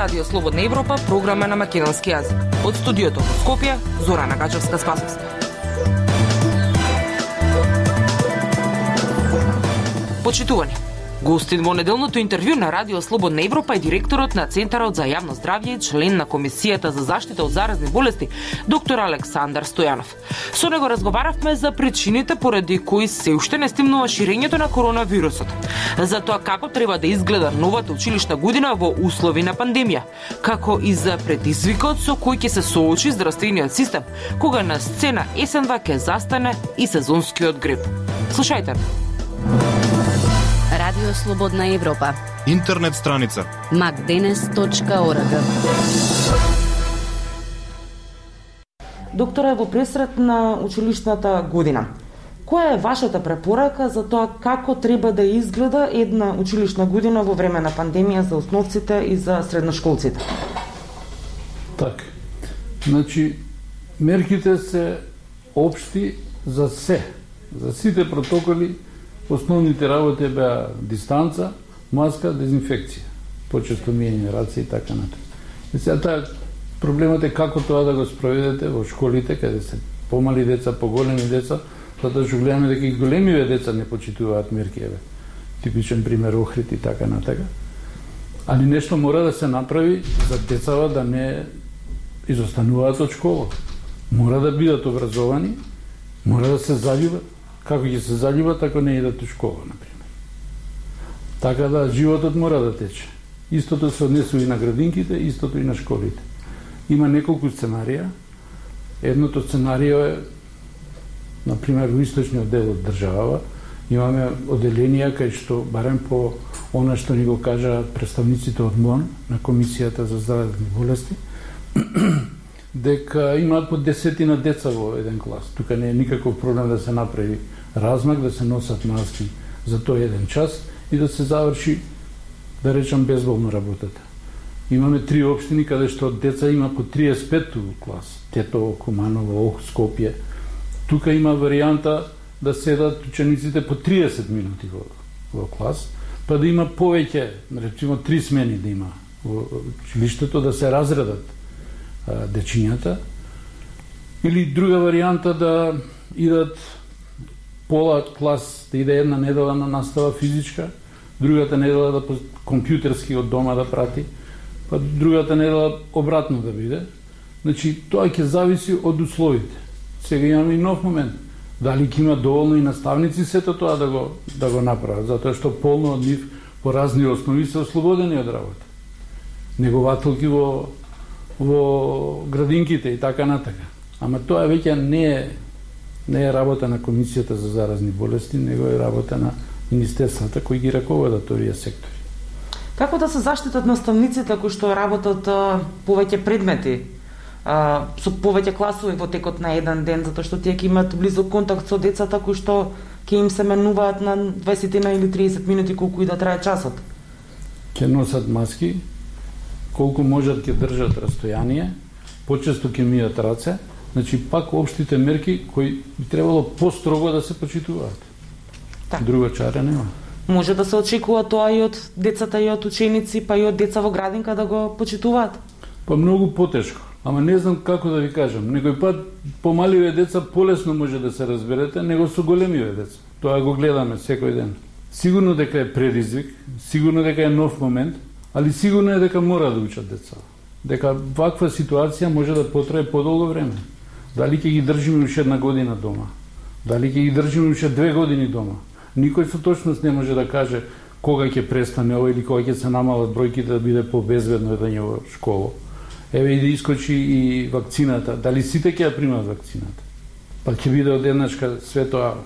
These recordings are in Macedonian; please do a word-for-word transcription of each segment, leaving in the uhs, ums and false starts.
Радио Слободна Европа, програма на македонски јазик. Од студиото во Скопје, Зорана Гаџевска-Спасовска. Почитувани, гостин во неделното интервју на Радио Слободна Европа е директорот на Центарот за јавно здравје и член на Комисијата за заштита од заразни болести, доктор Александар Стојанов. Со него разговаравме за причините поради кои се уште не стимнува ширењето на коронавирусот, за тоа како треба да изгледа новата училишна година во услови на пандемија, како и за предизвикот со кој ќе се соочи здравствениот систем, кога на сцена есенва ќе застане и сезонскиот грип. Слушајте. Радио Слободна Европа. Интернет страница макденес точка орг. Докторе, во пресрет на училишната година, која е вашата препорака за тоа како треба да изгледа една училишна година во време на пандемија за основците и за средношколците? Така. Значи, мерките се општи за се, за сите протоколи. Основните работи беа дистанца, маска, дезинфекција, почесто миење раце и така натаму. И сега таа проблемот е како тоа да го спроведете во школите, каде се помали деца, поголеми деца, затоа што гледаме дека и големиве деца не почитуваат мерки, еве. Типичен пример Охрид и така натака. Али нешто мора да се направи за децава да не изостануваат од школа. Мора да бидат образовани, мора да се заљубат. Како ќе се заљубат ако не идат у школа, например. Така да животот мора да тече. Истото се однесува и на градинките, истото и на школите. Има неколку сценарија. Едното сценарио е, например, во источниот дел од државава, имаме оделенија кај што, барем по она што ни го кажа представниците од МОН, на Комисијата за заразни болести, дека имаат по десетина деца во еден клас. Тука не е никаков проблем да се направи размак, да се носат маски за тој еден час и да се заврши, да речам, безболно работата. Имаме три општини каде што деца има по триесет и пет клас. Тетово, Куманово, Ох, Скопје. Тука има варијанта да седат учениците по триесет минути во, во клас, па да има повеќе, речимо три смени да има во училиштето, да се разредат дечињата, или друга варијанта да идат пола клас, да иде една недела на настава физичка, другата недела да по компјутерски од дома да прати, па другата недела обратно да биде. Значи, тоа ќе зависи од условите. Сега имаме и нов момент. Дали ќе има доволно и наставници сето тоа да го, да го направат, затоа што полно од нив по разни основи се ослободени од работа. Негователки во во градинките и така натака. Ама тоа веќе не е не е работа на Комисијата за заразни болести, него е работа на министерствата кои ги раководат овие сектори. Како да се заштитат наставниците кои што работат а, повеќе предмети, а, со повеќе класови во текот на еден ден, затоа што тие ќе имаат близок контакт со децата кои што ќе им се менуваат на дваесет или триесет минути колку и да трае часот? Ќе носат маски, колку можат ќе држат растојание, почесто ќе мијат раце, значи пак општите мерки кои би требало построго да се почитуваат. Так. Друга чара нема. Може да се очекува тоа и од децата и од ученици, па и од деца во градинка да го почитуваат? Па многу потешко, ама не знам како да ви кажам. Некој пат помаливе деца полесно може да се разберете, него со големиве деца. Тоа го гледаме секој ден. Сигурно дека е предизвик, сигурно дека е нов момент, али сигурно е дека мора да учат деца. Дека ваква ситуација може да потрае подолго време. Дали ќе ги држиме уште една година дома? Дали ќе ги држиме уште две години дома? Никој со точност не може да каже кога ќе престане ова или кога ќе се намалат бројките да биде побезбедно едење во школа. Еве и да искочи и вакцината. Дали сите ќе ја примат вакцината? Па ќе биде одеднашка све тоа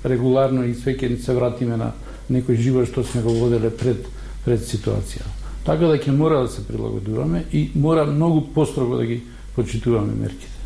регуларно и све ќе се вратиме на некој живот што сме го воделе пред пред ситуација. Така да ќе мора да се прилагодуваме и мора многу построго да ги почитуваме мерките.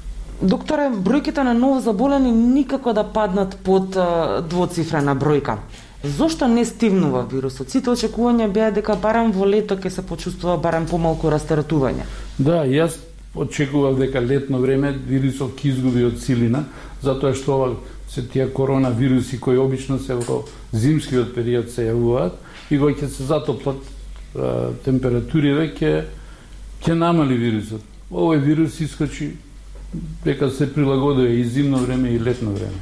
Докторе, бројките на новозаболени никако да паднат под а, двоцифрена бројка. Зошто не стивнува вирусот? Сите очекувања беа дека барем во лето ќе се почувствува барем помалку растаратување. Да, јас очекував дека летно време вирусот ќе изгуби од силина, затоа што ова се тие коронавируси кои обично се во зимскиот период се јавуваат и кога ќе се затоплат температуриве ќе ќе намали вирусот. Овој вирус искочи дека се прилагодува и зимно време и летно време.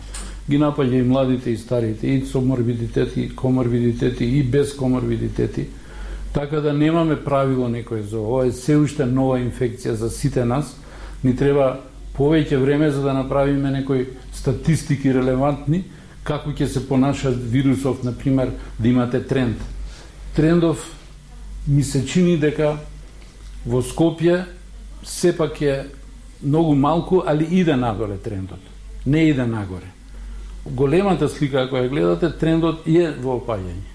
Ги напаѓа и младите и старите, и со морбидитети, и коморбидитети, и без коморбидитети. Така да немаме правило некој за ова, е се уште нова инфекција за сите нас. Ни треба повеќе време за да направиме некои статистики релевантни, како ќе се понаша вирусов, например, да имате тренд. Трендов ми се чини дека во Скопје сепак е многу малку, али иде нагоре трендот. Не иде нагоре. Големата слика, ако ја гледате, трендот е во опаѓање.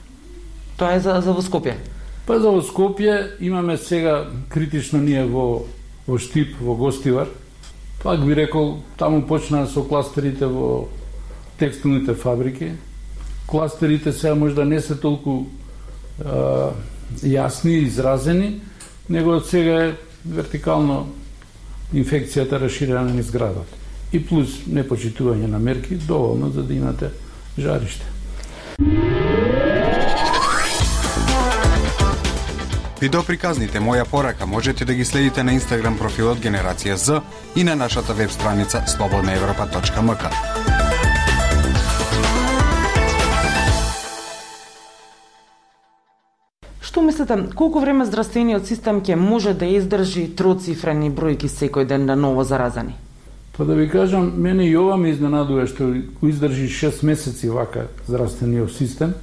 Тоа е за, за во Скопје? Па за во Скопје имаме сега критично ние во, во Штип, во Гостивар. Пак би рекол, таму почнаа со кластерите во текстилните фабрики. Кластерите сега можда не се толку а, јасни, изразени, него од сега е вертикално инфекцијата расширена низ градот. И плюс непочитување на мерки, доволно за да имате жариште. Видеоприказните Моја порака можете да ги следите на Инстаграм профилот Генерација З и на нашата веб страница слободна европа точка ем ка. Што мислите, колку време здравствениот систем ќе може да издржи троцифрени бројки секој ден на ново заразани? Па да ви кажам, мене и ова ме изненадува што го издржи шест месеци вака здравствениот систем,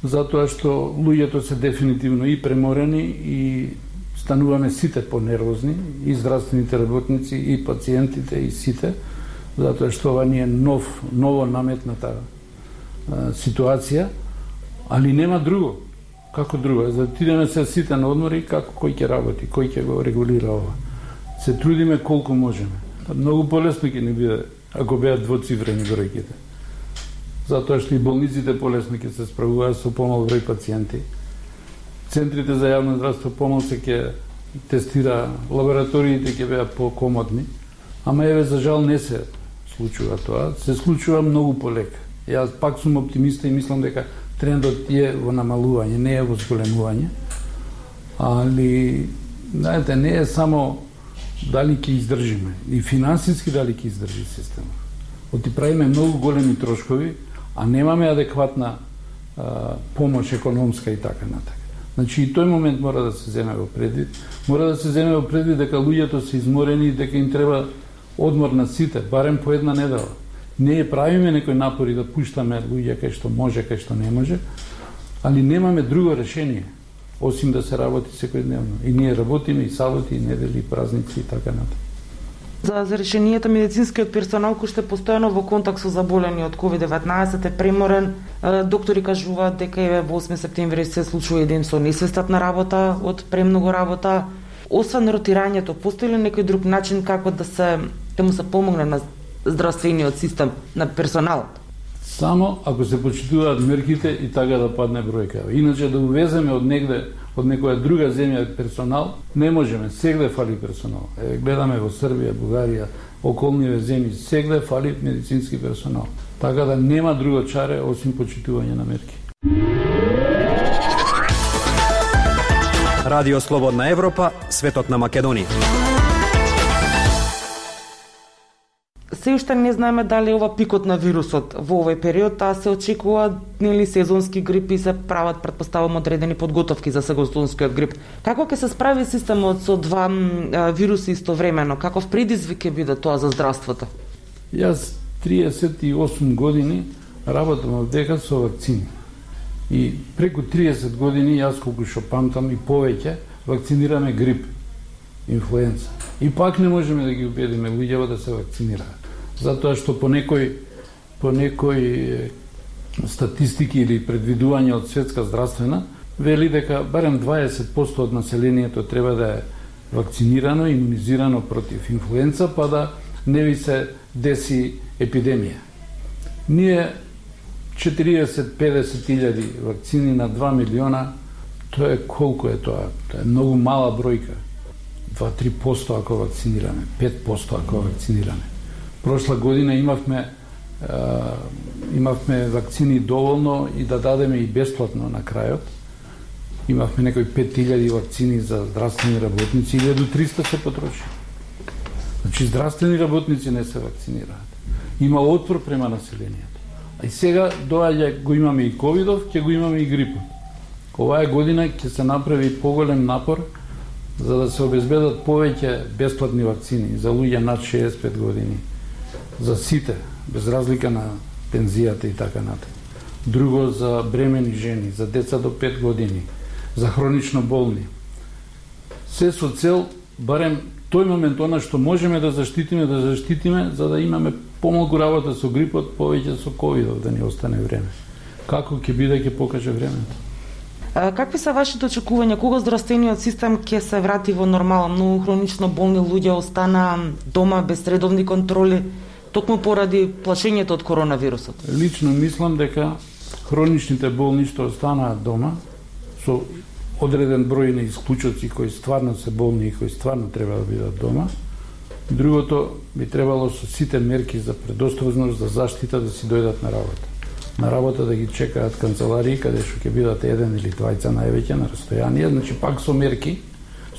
затоа што луѓето се дефинитивно и преморени и стануваме сите понервозни, и здравствените работници, и пациентите, и сите, затоа што ова ни е нов, ново наметната а, ситуација, али нема друго. Како друго? За да отидеме се сите на одмори, како кој ќе работи, кој ќе го регулира ова. Се трудиме колку можеме. Многу полесно ќе ни биде ако беа двоцифрени бројките. Затоа што и болниците полесно ќе се справуваат со помал број пациенти. Центрите за јавно здравство помал се ќе тестира, лабораториите ќе беа покомодни, ама еве за жал не се случува тоа, се случува многу полека. Јас пак сум оптимиста и мислам дека трендот е во намалување, не е во зголемување. Али, знаете, не е само дали ќе издржиме, и финансиски дали ќе издржи системот. Оти правиме многу големи трошкови, а немаме адекватна а, помош економска и така натака. Значи и тој момент мора да се земе во предвид. Мора да се земе во предвид дека луѓето се изморени и дека им треба одмор на сите, барем по една недела. Не правиме некои напори да пуштаме луѓе кај што може, кај што не може, али немаме друго решение, осим да се работи секојдневно. И ние работиме и саботи, и недели, и празници и така натаму. За, за решенијата медицинскиот персонал кој што е постојано во контакт со заболени од ковид деветнаесет е преморен. Доктори кажуваат дека еве во осми септември се случува еден со несвестат на работа од премногу работа. Освен ротирањето, постои ли некој друг начин како да се да му се помогне на здравствениот систем, на персоналот? Само ако се почитуваат мерките и така да падне бројка. Иначе да увеземе од негде, од некоја друга земја персонал, не можеме. Сегде фали персонал. Е, гледаме во Србија, Бугарија, околниве земји, сегде фали медицински персонал. Така да нема друго чаре осим почитување на мерки. Радио Слободна Европа, светот на Македонија. Се уште не знаеме дали ова пикот на вирусот во овој период, а се очекува нели сезонски грипи, се прават претпоставувам одредени подготовки за сезонскиот грип. Како ќе се справи системот со два а, вируси истовремено? Каков предизвик ќе биде тоа за здравството? Јас триесет и осум години работам во дека со вакцини. И преку триесет години јас колку што памтам и повеќе вакцинираме грип, инфлуенца. И пак не можеме да ги убедиме луѓето да се вакцинираат. Затоа што по некој по некој статистики или предвидување од Светска здравствена вели дека барем дваесет проценти од населението треба да е вакцинирано, имунизирано против инфлуенца, па да не ви се деси епидемија. Ние четириесет до педесет илјади вакцини на два милиона, тоа е колку е тоа? Тоа е многу мала бројка. два до три проценти ако вакцинираме, пет проценти ако вакцинираме. Прошла година имавме а, имавме вакцини доволно и да дадеме и бесплатно на крајот. Имавме некои пет илјади вакцини за здравствени работници, илјада и триста се потроши. Значи, здравствени работници не се вакцинираат. Има отпор према населението. А и сега доаѓа, го имаме и ковидов, ќе го имаме и грипот. Оваа година ќе се направи поголем напор за да се обезбедат повеќе бесплатни вакцини за луѓе над шеесет и пет години. За сите, без разлика на пензијата и така натаму. Друго за бремени жени, за деца до пет години, за хронично болни. Се со цел, барем тој момент, она што можеме да заштитиме, да заштитиме, за да имаме помалку работа со грипот, повеќе со ковидов, да ни остане време. Како ќе биде, ќе покаже времето. А, какви се вашите очекувања? Кога здравствениот систем ќе се врати во нормала? Многу хронично болни луѓе остана дома без редовни контроли, токму поради плашењето од коронавирусот. Лично мислам дека хроничните болни што останаат дома, со одреден број на исклучоци кои стварно се болни и кои стварно треба да бидат дома. Другото би требало со сите мерки за предосторожност, за заштита да си дојдат на работа. На работа да ги чекаат канцеларии каде што ќе бидат еден или двајца највеќе на растојание, значи пак со мерки,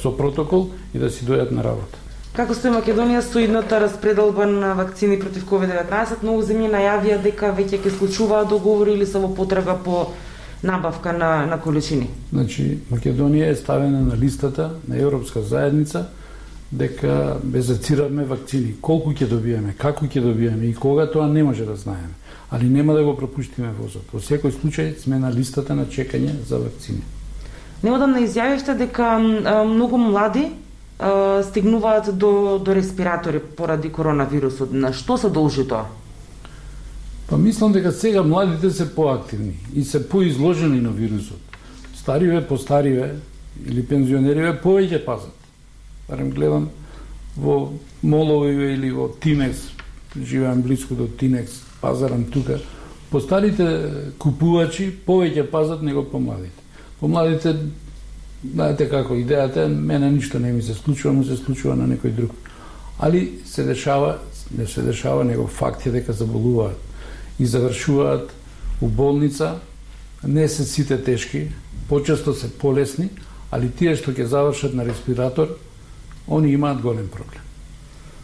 со протокол и да си дојдат на работа. Како стои Македонија со идната распределба на вакцини против ковид деветнаесет? Многу земји најавија дека веќе ќе склучуваат договори или се во потрага по набавка на, на количини. Значи, Македонија е ставена на листата на Европска заедница дека безацираме вакцини. Колку ќе добиеме, како ќе добиеме и кога, тоа не може да знаеме. Али нема да го пропуштиме возот. Во секој случај сме на листата на чекање за вакцини. Неодамна изјавивте дека а, многу млади а, стигнуваат до, до респиратори поради коронавирусот. На што се должи тоа? Па мислам дека сега младите се поактивни и се поизложени на вирусот. Стариве, постариве или пензионериве повеќе пазат. Барем гледам во моловиве или во Тинекс, живеам близко до Тинекс, пазарам тука. Постарите купувачи повеќе пазат него помладите. Помладите, знаете како идејата, мене ништо не ми се случува, му се случува на некој друг. Али се дешава, не се дешава, него факт е дека заболуваат и завршуваат у болница. Не се сите тешки, почесто се полесни, али тие што ќе завршат на респиратор, они имаат голем проблем.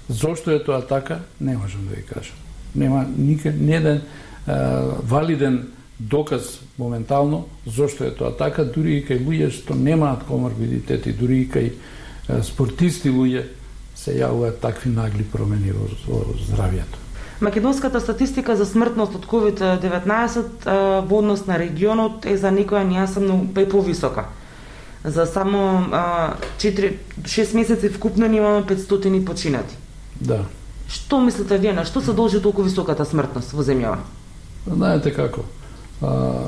Зошто е тоа така, не можам да ви кажам. Нема никај неден валиден доказ моментално зошто е тоа така, дури и кај луѓе што немаат коморбидитети, дури и кај спортисти луѓе се јавуваат такви нагли промени во, во здравјето. Македонската статистика за смртност од ковид деветнаесет во однос на регионот е за некоја нијаса многу повисока. За само четири-шест месеци вкупно имаме петстотини починати. Да. Што мислите вие, на што се должи толку високата смртност во земјава? Знаете како? А,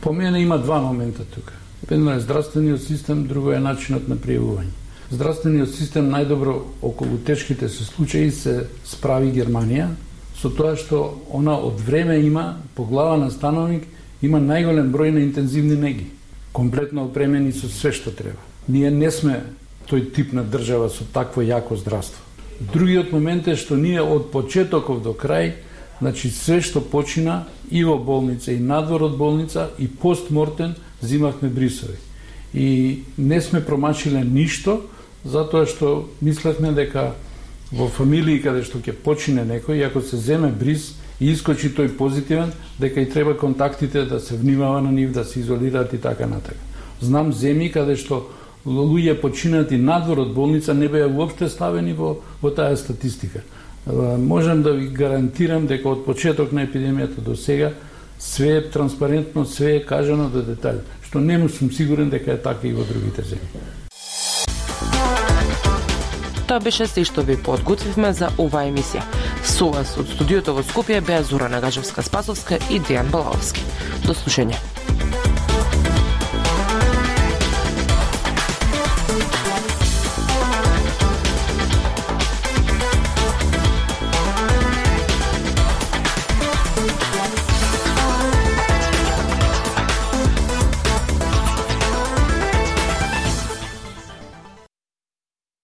по мене има два момента тука. Едно е здравствениот систем, друго е начинот на пријавување. Здравствениот систем најдобро околу тешките се случаи се справи Германија, со тоа што она од време има, по глава на становник, има најголем број на интензивни неги, комплетно опремени со све што треба. Ние не сме тој тип на држава со такво јако здравство. Другиот момент е што ние од почетоков до крај, значи све што почина и во болница, и надвор од болница, и постмортен, зимавме брисови. И не сме промашиле ништо, затоа што мислевме дека во фамилии каде што ќе почине некој, и ако се земе бриз и искочи тој позитивен, дека и треба контактите да се внимава на нив, да се изолираат и така натака. Знам земји каде што луѓе починати надвор од болница не беа уопште ставени во, во таа статистика. Можам да ви гарантирам дека од почеток на епидемијата до сега све е транспарентно, све е кажано до детали, што не сум сигурен дека е така и во другите земји. Тоа беше се што ви подготвивме за оваа емисија. Со вас од студиото во Скопје беа Зора Нагажевска-Спасовска и Дејан Балаовски. До слушање.